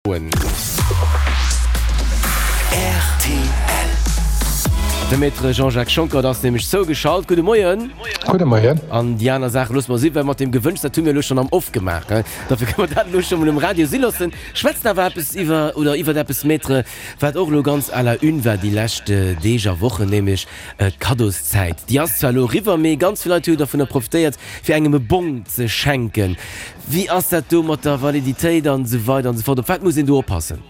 Rtl. De Maître Jean-Jacques Schonckert ass nämlech zougeschalt. Gudde Moien. Gudde Moien. An déi aner Saache loosse mer si, well mat deem Gewënsch, dat hu mir elo schonn am Off gemaach, dofir kënne mer dat elo scho mol um Radio si loossen. Schwätzen awer eppes iwwer, oder iwwert eppes, Maître, wat och elo ganz à la une war déi lescht Deeg a Wochen, nämlech d'Kaddoszäit. Déi ass zwar elo eriwwer, mee ganz vill Leit hu jo dervunner profitéiert, fir engem e Bong ze schenken. Wéi ass dat do mat der Validitéit an esou weider an esou fort? Op wat muss een do oppassen?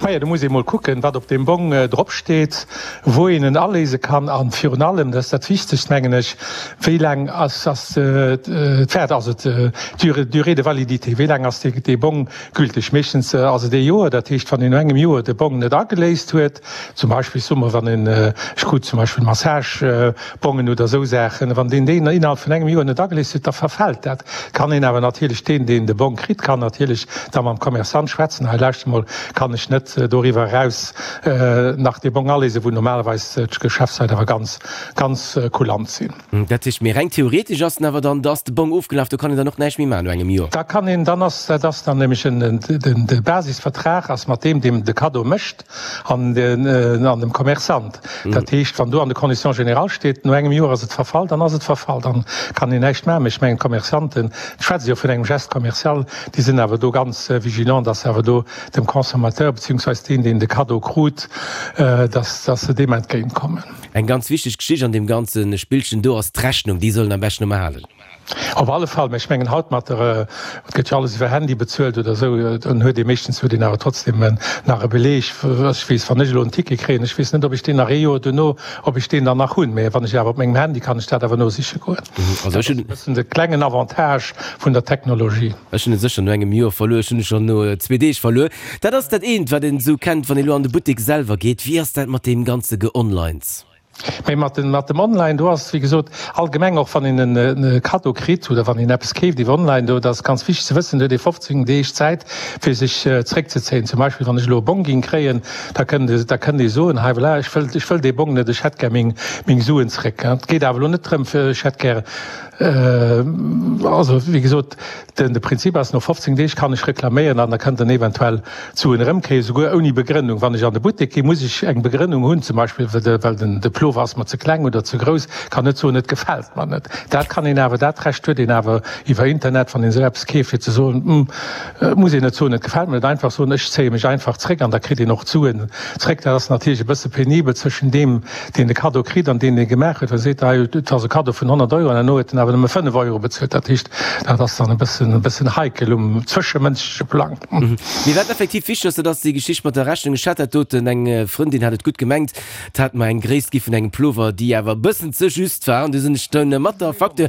Maja, do muss ee mol kucken, wat op deem Bong drop steet, wou een en aléise kann an virun allem, dat ass dat Wichtegst, mengen ech, wéi laang ass ass d'Wäert, also d'Durée, durée de validité, wéi laang ass dee Bong gülteg? Meeschtens ass et ee Joer, dat heescht, wann een no engem Joer de Bong net ageléist huet, zum Beispill, soe mer, wann een, ech krut zum Beispill Massage, Bongen oder esou Saachen, wann deen déi innerhalb vun engem Joer net ageléist huet, da verfält dat. Kann een awer natierlech, deen deen de Bong kritt, kann natierlech da mam Commerçant schwätzen, hei lauschter mol, kann ech net doriwwer eraus nach dee Bong aléisen, wou normalerweis d'Geschäftsleit awer ganz, ganz kulant sinn. Dat heescht, mee reng theoretesch ass en awer dann, da ass de Bong ofgelaf, do kann een dann och näischt méi maachen no engem Joer? Da kann een, dann ass, dat ass dann nämlech en, den, de Basisvertrag ass mat deem, deem de Cadeau mécht, an dem Commerçant. Dat heescht, wann do an de Conditions générales steet, no engem Joer ass et verfall, dann ass et verfall, dann kann een näischt maachen. Mee ech mengen, d'Commerçanten, ech schwätze jo vun engem Geste commercial, déi sinn awer do ganz vigilant, dass se awer do dem Consommateur beziehungsweise deen, deen de Cadeau krut, dass se deem entgéintkommen. Eng ganz wichteg Geschicht an deem ganze Spillchen do ass d'Rechnung. Déi soll een am beschten ëmmer halen. Op alle Fall, mä ech mengen haut mat der, et gëtt jo alles iwwer Handy bezuelt oder esou, dann huet ee meeschtens huet een awer trotzdem nach e Beleg. Ech weess, wann ech elo en Ticket kréien, ech weess net, ob ech deen nach ee Joer duerno, ob ech deen dann nach hunn, mä wann ech awer op mengem Handy kann ech dat awer nosiche goen. Also ech hunn. Dat ass e bëssen de klengen Avantage vun der Technologie. Ech hunn e sécher no engem Joer verluer, ech hunn e schonn no zwee Deeg verluer. Dat ass dat eent, wat een esou kennt, wann ee lo an de Buttek selwer geet. Wéi ass dat mat deem ganze Geonlines? Mee mat dem, mat dem Online, do ass, wéi gesot, allgemeng, och wann een e Kaddo kritt oder wann een eppes keeft iwwer online, do, dat ass ganz wichteg ze wëssen, do huet ee 15 Deeg Zäit, fir sech zréckzezéien. Zum Beispill, wann ech elo e Bong géing kréien, da kënnt e, da kënnt ee soen, hei voilà, ech wëll, ech wëll dee Bong net, ech hätt gär meng, meng Suen zréck. Et geet awer elo net drëm, fir ech hätt gär, also wéi gesot, Den de Prinzip ass, no 15 Deeg kann ech reklaméieren an da kënnt en eventuell d'Suen erëmkréien, souguer ouni Begrënnung. Wann ech an de Buttek ginn, muss ech eng Begrënnung hunn, zum Beispill well den de Plover ass mer ze kleng oder ze grouss, kann net soen, et gefält mer net. Dat kann een awer, dat Recht huet een awer iwwer Internet, wann een esou eppes keeft, fir ze soen, hm, et muss een net soen, et gefält mer net, einfach soen, ech zéie mech einfach zréck an da kritt een och d'Suen zréck. Dat ass natierlech e bësse penibel zwëschen deem, deen de Kaddo kritt an deen dee gemaach huet, well seet, hei, et ass e Kaddo vun 100 Euro an herno huet en awer nëmme 5 Euro bezuelt. Dat heescht, dat ass dann e bëssen, e bëssen heikel um zwëschemënschleche Plang. Mee wat effektiv wichteg ass, dat ass déi Geschicht mat der Rechnung. Ech hat dat doten, eng Frëndin hat et gutt gemengt, d'hat mer eng Gréisst gi vun engem Plover, déi awer e bëssen ze just war an du sinn ech dunn mat der Facture,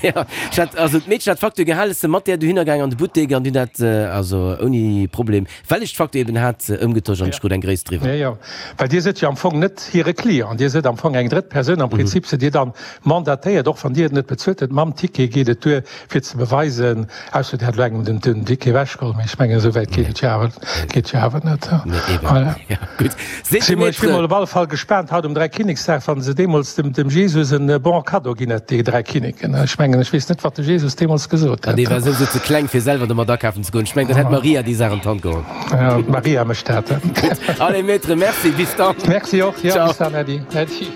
jo, ech hat, also d'Meedchen hat d'Facture gehalen, ech si mat där dohinner gaang an de Buttek an hunn dat also ouni Problem Well ech d'Facture eben hat, ëmgetosch an ech krut eng Gréisst driwwer. Jo, jo, well Dir sidd jo am Fong net hire Client, Dir sidd am Fong eng drëtt Persoun. Am Prinzip sidd Dir dann mandatéiert, och wann Dir et net bezuelt hutt, mam Ticket geet et duer, fir ze beweisen, ausser Dir hätt elo engem den Ticket ewechgeholl, mee ech mengen, esou wäit geet et jo awer, geet jo awer net. Nee, eben. Voilà. Jo, gutt. Seet de Maître. Ech si mol op alle Fall gespaant haut um Dräikinneksdag, wa se deemools dem Jesus en Bon cadeau ginn hätt, déi dräi Kinneken. Ech mengen, ech weess net, wat de Jesus deemools gesot hätt. Dee war souwisou ze kleng, fir selwer domat akafen ze goen. Ech mengen, dann hätt d'Maria déi Saach an d'Hand geholl. Jo, d'Maria mécht dat. Gutt. Allez, Maître, merci. Bis dann. Merci och. Jo, bis dann, Äddi. Äddi.